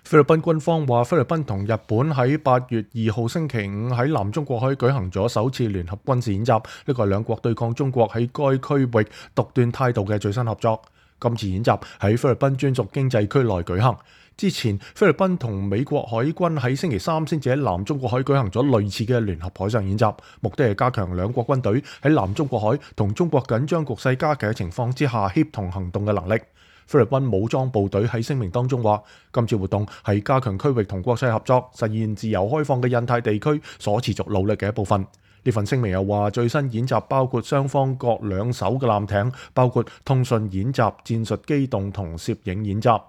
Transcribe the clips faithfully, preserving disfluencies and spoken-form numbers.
菲律賓軍方話，菲律賓同日本喺八月二號星期五喺南中國海舉行咗首次聯合軍事演習，呢個係兩國對抗中國喺該區域獨斷態度嘅最新合作。今次演習喺菲律賓專屬經濟區內舉行。之前菲律賓同美國海軍喺星期三先至喺南中國海舉行咗類似嘅聯合海上演習，目的係加強兩國軍隊喺南中國海同中國緊張局勢加劇嘅情況之下協同行動嘅能力。菲律賓武裝部隊喺聲明當中話，今次活動係加強區域同國際合作、實現自由開放嘅印太地區所持續努力嘅一部分。呢份聲明又話，最新演習包括雙方各兩艘嘅艦艇，包括通訊演習、戰術機動同攝影演習。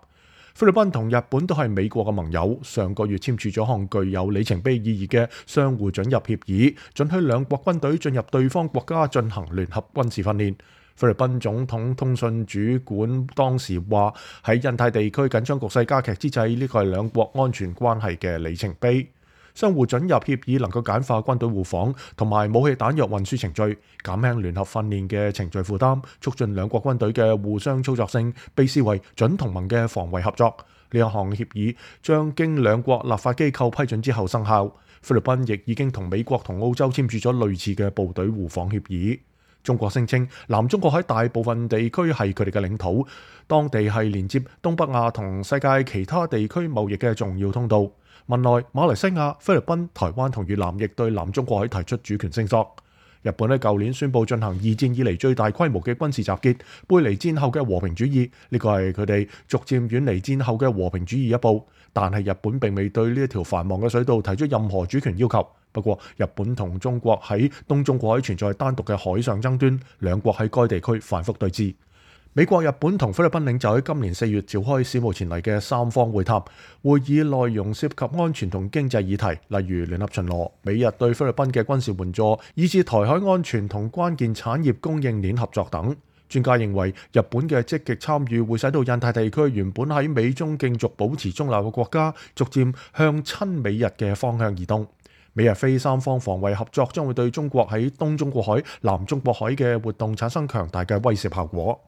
菲律賓同日本都係美國嘅盟友，上個月簽署咗項具有里程碑意義嘅相互准入協議，准許兩國軍隊進入對方國家進行聯合軍事訓練。菲律賓總統通訊主管當時話，喺印太地區緊張局勢加劇之際，呢個係兩國安全關係嘅里程碑。相互准入協議能夠簡化軍隊互訪同埋武器彈藥運輸程序，減輕聯合訓練嘅程序負擔，促進兩國軍隊嘅互相操作性，被視為準同盟嘅防衛合作。呢一項協議將經兩國立法機構批准之後生效。菲律賓亦已經同美國同澳洲簽署咗類似嘅部隊互訪協議。中國聲稱南中國海大部分地區係佢哋嘅領土，當地係連接東北亞同世界其他地區貿易嘅重要通道。文萊、馬來西亞、菲律賓、台灣同越南亦對南中國海提出主權聲索。日本喺舊年宣布進行二戰以嚟最大規模嘅軍事集結，背離戰後嘅和平主義，呢個係佢哋逐漸遠離戰後嘅和平主義一步。但係日本並未對呢一條繁忙嘅水道提出任何主權要求。不過，日本同中國喺東中國海存在單獨嘅海上爭端，兩國喺該地區反覆對峙。美國、日本同菲律賓領袖喺今年四月召開史無前例嘅三方會談，會議內容涉及安全同經濟議題，例如聯合巡邏、美日對菲律賓嘅軍事援助，以至台海安全同關鍵產業供應鏈合作等。專家認為，日本嘅積極參與會使到印太地區原本喺美中競逐保持中立嘅國家，逐漸向親美日嘅方向移動。美日菲三方防衛合作將會對中國喺東中國海、南中國海嘅活動產生強大嘅威懾效果。